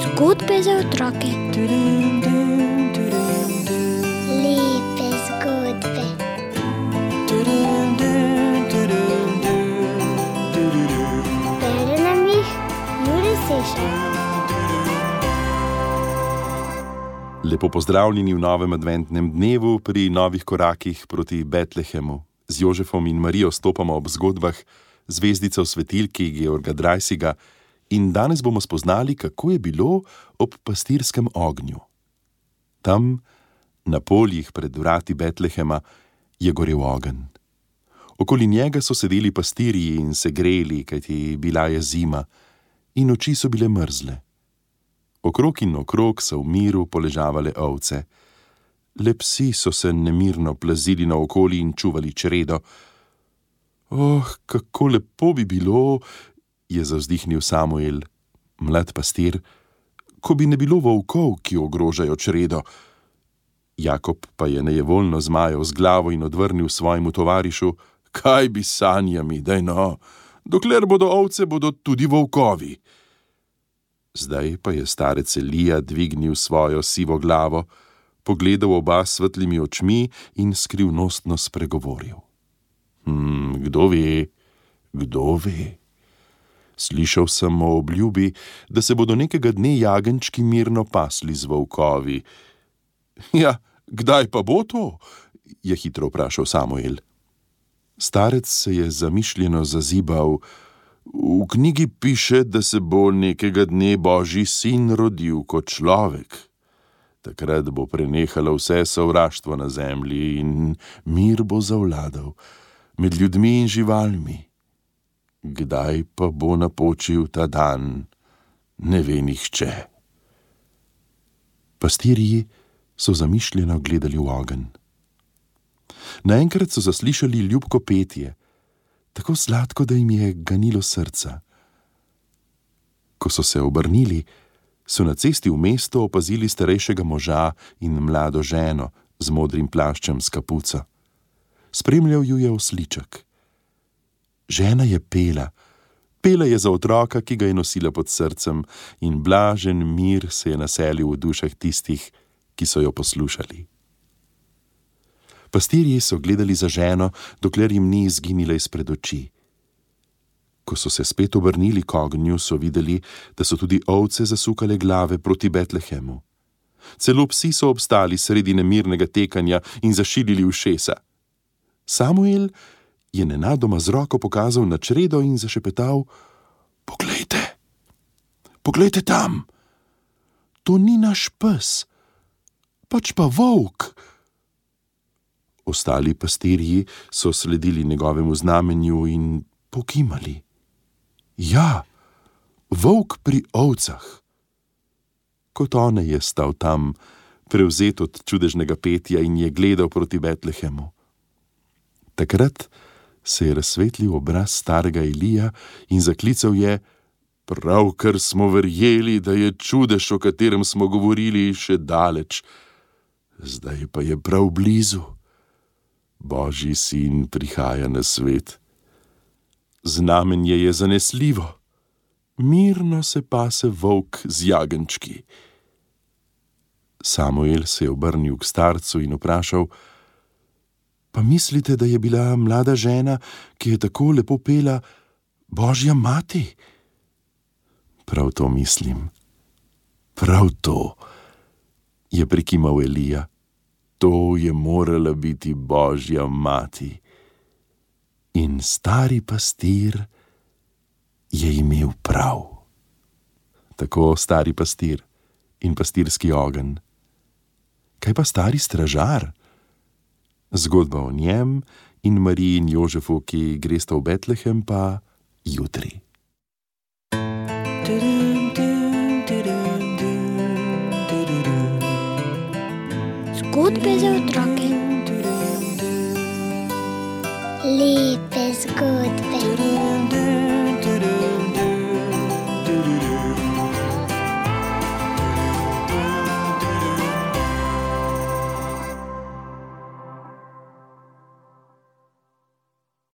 Zgodbe za otroke. Lepe zgodbe. Bere nam jih Jure Sešar. Lepo pozdravljeni v novem adventnem dnevu pri novih korakih proti Betlehemu. Z Jožefom in Marijo stopamo ob zgodbah zvezdice v svetilki Georga Dreisiga in danes bomo spoznali, kako je bilo ob pastirskem ognju. Tam, na poljih pred vrati Betlehema, je gorel ogenj. Okoli njega so sedeli pastirji in se greli, kajti bila je zima in oči so bile mrzle. Okrog in okrog so v miru poležavale ovce. Le psi so se nemirno plazili naokoli in čuvali čredo. Kako lepo bi bilo, je zavzdihnil Samuel, mlad pastir, ko bi ne bilo volkov, ki ogrožajo čredo. Jakob pa je nejevoljno zmajal z glavo in odvrnil svojemu tovarišu: kaj bi sanjami, daj no, dokler bodo ovce, bodo tudi volkovi. Zdaj pa je starec Elija dvignil svojo sivo glavo, pogledal oba s svetlimi očmi in skrivnostno spregovoril. Kdo ve? Slišal sem o obljubi, da se bodo nekega dne jagenjčki mirno pasli z volkovi. Ja, kdaj pa bo to? Je hitro vprašal Samuel. Starec se je zamišljeno zazibal. V knjigi piše, da se bo nekega dne Božji sin rodil kot človek. Takrat bo prenehalo vse sovraštvo na zemlji in mir bo zavladal med ljudmi in živalmi. Kdaj pa bo napočil ta dan, ne ve nihče. Pastirji so zamišljeno gledali v ogenj. Naenkrat so zaslišali ljubko petje, tako sladko, da jim je ganilo srca. Ko so se obrnili, so na cesti v mesto opazili starejšega moža in mlado ženo z modrim plaščem s kapuco. Spremljal ju je osliček. Žena je pela je za otroka, ki ga je nosila pod srcem, in blažen mir se je naselil v dušah tistih, ki so jo poslušali. Pastirji so gledali za ženo, dokler jim ni izginila izpred oči. Ko so se spet obrnili k ognju, so videli, da so tudi ovce zasukale glave proti Betlehemu. Celo psi so obstali sredi nemirnega tekanja in zašilili ušesa. Samuel je nenadoma z roko pokazal na čredo in zašepetal: Poglejte tam! To ni naš pes, pač pa volk. Ostali pastirji so sledili njegovemu znamenju in pokimali. Ja, volk pri ovcah. Kot one je stal tam, prevzet od čudežnega petja, in je gledal proti Betlehemu. Takrat se je razsvetlil obraz starega Elija in zaklical je: pravkar smo verjeli, da je čudež, o katerem smo govorili, še daleč. Zdaj pa je prav blizu. Božji sin prihaja na svet. Znamenje je zanesljivo. Mirno se pase volk z jagenjčki. Samuel se je obrnil k starcu in vprašal: pa mislite, da je bila mlada žena, ki je tako lepo pela, Božja mati? Prav to mislim. Prav to, je prikimal Elija. To je morala biti Božja mati. In stari pastir je imel prav. Tako stari pastir in pastirski ogenj. Kaj pa stari stražar? Zgodba o njem in Mariji in Jožefu, ki gresta v Betlehem, pa jutri. Zgodbe za otroke. Lepe zgodbe.